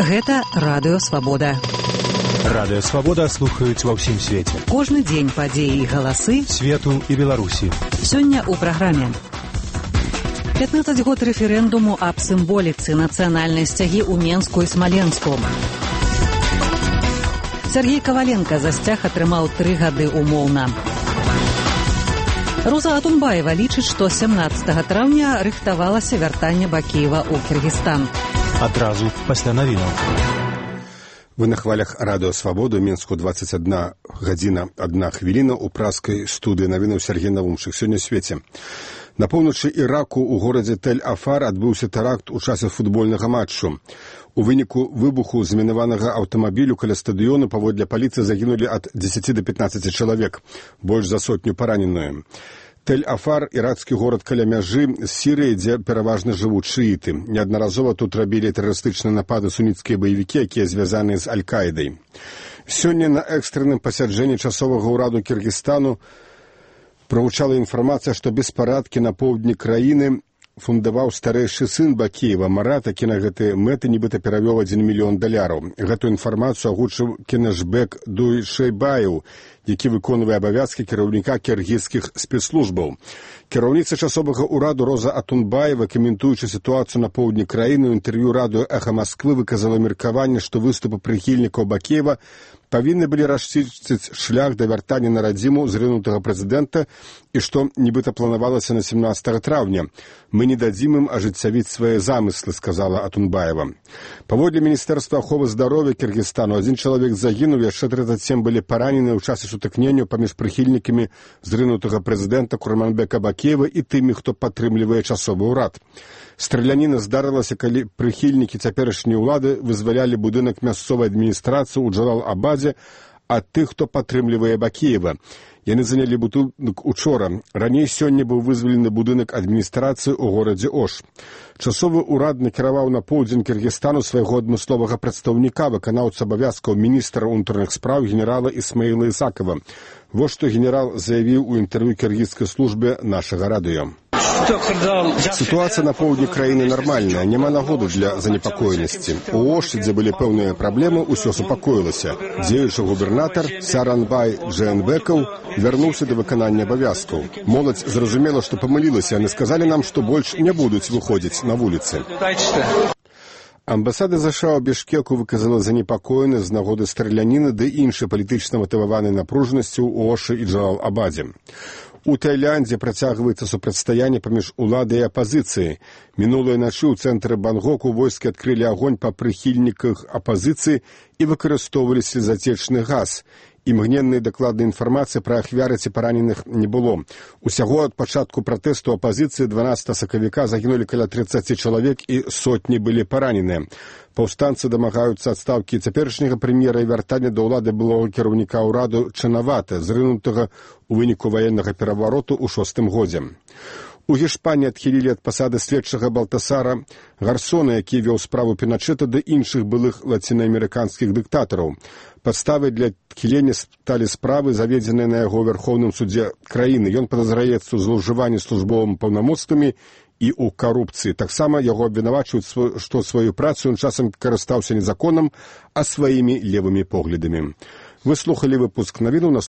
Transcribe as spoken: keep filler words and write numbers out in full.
Гэта Радыё Свабода. Радыё Свабода слухаюць ва ўсім свеце. Кожны дзень падзеі і галасы свету і Беларусі. Сёння ў праграме. пятнаццаць год рэферэндуму аб сімволіцы нацыянальнай сцягі ў Менску і Смаленску. Сергей Коваленко за сцяг атрымаў тры гады умоўна. Роза Атунбаева лічыць, што сямнаццатага траўня рыхтавалася вяртанне Бакеева ў Кыргызстан. Адразу пасля навінаў. Вы на хвалях Радыё Свабоду, Менску дваццаць адна гадзіна адна хвіліна ў праскай студыі навінаў Сергей Навумчык. Сёння свеце. На поўначы Іраку ў горадзе Тель-Афар адбыўся тэракт у часе футбольнага матчу. У выніку выбуху змінаванага аўтамабілю каля стадыёну паводле паліцыі загінулі ад дзесяці да пятнаццаці чалавек, больш за сотню параненыя. Тель-Афар – іракскі горад каля мяжы з Сірыяй, дзе пераважна жывуць шыіты. Неаднаразова тут рабілі тэрарыстычныя напады суніцкія баевікі, якія звязаныя з Аль-Каідай. Сёння на экстранным пасяджэнні часовага ўраду Кыргызстану прагучала інфармацыя, што беспарадкі на поўдні краіны фундаваў старэйшы сын Бакеева, Марат, які на гэтыя мэты нібыта перавёў адзін мільён даляраў. Гэту інфармацыю агучыў Кенешбек Дуйшэйбаев, які выконвае абавязкі кіраўніка кіргізскіх спецслужбаў. Кіраўніца часовага ўраду Роза Атунбаева, каментуючы сітуацыю на поўдні краіны, ў інтэрв'ю радыё «Эхо Москвы» выказала меркаванне, што выступы прыхільнікаў Бакеева павінны былі расчысціць шлях да вяртання на радзіму зрынутага прэзідэнта і што нібыта планавалася на сямнаццатага траўня. «Мы не дадзім ім ажыццявіць свае замыслы», сказала Атунбаева. Паводле Міністэрства аховы здароўя Кыргызстану адзін чалавек загінуў, яшчэ трыццаць сем былі паранены ў часе сутыкненняў паміж прыхільнікамі зрынутага прэзідэнта Курманбека Бакеева і тымі, хто падтрымлівае часовы ўрад. Страляніна здарылася, калі прыхільнікі цяперашняй улады вызвалялі будынак мясцовай адміністрацыі ў Джалал-Абадзе ад тых, хто падтрымлівае Бакеева. Яны занялі будынак учора. Раней сёння быў вызвалены будынак адміністрацыі ў горадзе Ош. Часовы ўрад накіраваў на поўдзень Кыргызстану свайго адмысловага прадстаўніка, выканаўца абавязкаў міністра ўнутраных спраў генерала Исмаіла Исакова. Вось што генерал заявіў у інтэрв'ю кіргізскай службе нашага радыё. Ситуация на поўдні краіны нармальная, няма нагоды для занепакоенасці. У Оші, дзе былі пэўныя праблемы, усё супакоілася. Дзеючы губернатар Саранбай Джээнбекаў вярнуўся да выканання абавязкаў. Моладзь зразумела, што памылілася, яны сказалі нам, што больш не будуць выходзіць на вуліцы. Амбасада ЗША ў Бішкеку выказала занепакоенасць з нагоды страляніны ды іншай палітычна матываванай напружанасці ў Ошы і Джалал-Абадзе. У Таіландзе працягваецца супрацьстаянне паміж уладай і апазіцыяй. Мінулай начы ў цэнтры Бангоку войскі адкрылі агонь па прыхільніках апазіцыі і выкарыстоўвалі слезатечны газ. Імгненнай дакладнай інфармацыі пра ахвяры ці параненых не было. Усяго ад пачатку пратэсту апазіцыі дванаццатага сакавіка загінулі каля трыццаці чалавек і сотні былі параненыя. Паўстанцы дамагаюцца адстаўкі цяперашняга прэм'ера і вяртання да ўлады былога кіраўніка ўраду Чанавата, зрынутага ў выніку ваеннага перавароту ў шостым годзе. У Гішпаніі адхілілі ад пасады следчага Балтасара Гарсона, які вёў справу Піначэта ды іншых былых лацінаамерыканскіх дыктатараў. Падставай для адхілення сталі справы, заведзеныя на яго вярхоўным судзе краіны. Ён падазраецца ў злоўжыванні службовымі паўнамоцтвамі і ў карупцыі. Таксама яго абвінавачваюць, што сваю працу ён часам карыстаўся не законам, а сваімі левымі поглядамі. Вы слухалі выпуск навінаў.